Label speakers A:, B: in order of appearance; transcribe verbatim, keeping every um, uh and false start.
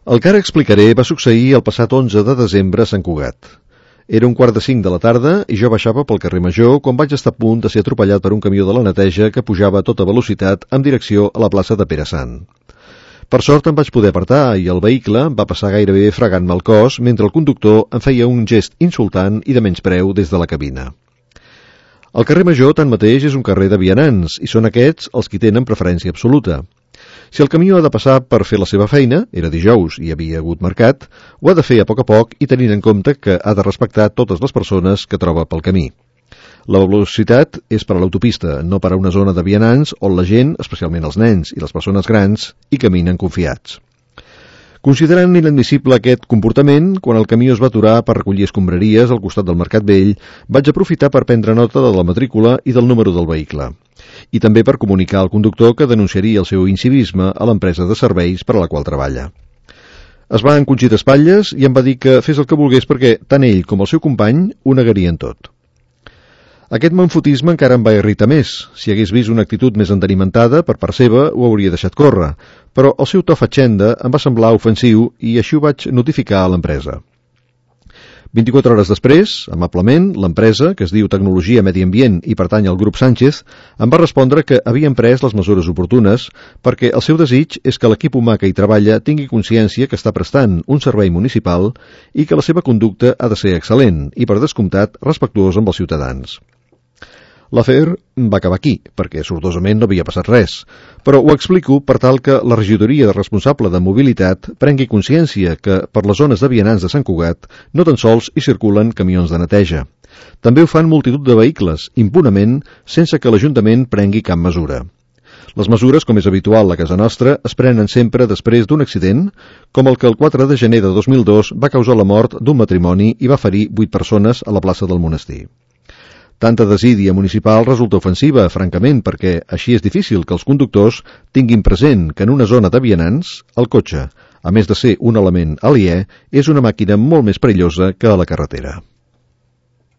A: El que ara explicaré va succeir el passat onze de desembre a Sant Cugat. Era un quart de cinc de la tarda i jo baixava pel carrer Major quan vaig estar a punt de ser atropellat per un camió de la neteja que pujava a tota velocitat en direcció a la plaça de Pere Sant. Per sort em vaig poder apartar i el vehicle va passar gairebé fregant-me el cos mentre el conductor em feia un gest insultant i de menyspreu des de la cabina. El carrer Major, tanmateix, és un carrer de vianants i són aquests els qui tenen preferència absoluta. Si el camió ha de passar per fer la seva feina, era dijous i hi havia hagut mercat, ho ha de fer a poc a poc i tenint en compte que ha de respectar totes les persones que troba pel camí. La velocitat és per a l'autopista, no per a una zona de vianants on la gent, especialment els nens i les persones grans, hi caminen confiats. Considerant inadmissible aquest comportament, quan el camió es va aturar per recollir escombraries al costat del Mercat Vell, vaig aprofitar per prendre nota de la matrícula i del número del vehicle, i també per comunicar al conductor que denunciaria el seu incivisme a l'empresa de serveis per a la qual treballa. Es va encongir d'espatlles i em va dir que fes el que volgués perquè tant ell com el seu company ho negarien tot. Aquest manfotisme encara em va irritar més. Si hagués vist una actitud més entenimentada per part seva, ho hauria deixat córrer, però el seu to fatxenda em va semblar ofensiu i així ho vaig notificar a l'empresa. vint-i-quatre hores després, amablement, l'empresa, que es diu Tecnologia Medi Ambient i pertany al grup Sánchez, em va respondre que havien pres les mesures oportunes perquè el seu desig és que l'equip humà que hi treballa tingui consciència que està prestant un servei municipal i que la seva conducta ha de ser excel·lent i, per descomptat, respectuós amb els ciutadans. L'afer va acabar aquí, perquè sortosament no havia passat res, però ho explico per tal que la regidoria responsable de mobilitat prengui consciència que per les zones de vianants de Sant Cugat no tan sols hi circulen camions de neteja. També ho fan multitud de vehicles, impunament, sense que l'Ajuntament prengui cap mesura. Les mesures, com és habitual a casa nostra, es prenen sempre després d'un accident, com el que el quatre de gener de dos mil dos va causar la mort d'un matrimoni i va ferir vuit persones a la plaça del Monestir. Tanta desídia municipal resulta ofensiva, francament, perquè així és difícil que els conductors tinguin present que en una zona de vianants, el cotxe, a més de ser un element aliè, és una màquina molt més perillosa que a la carretera.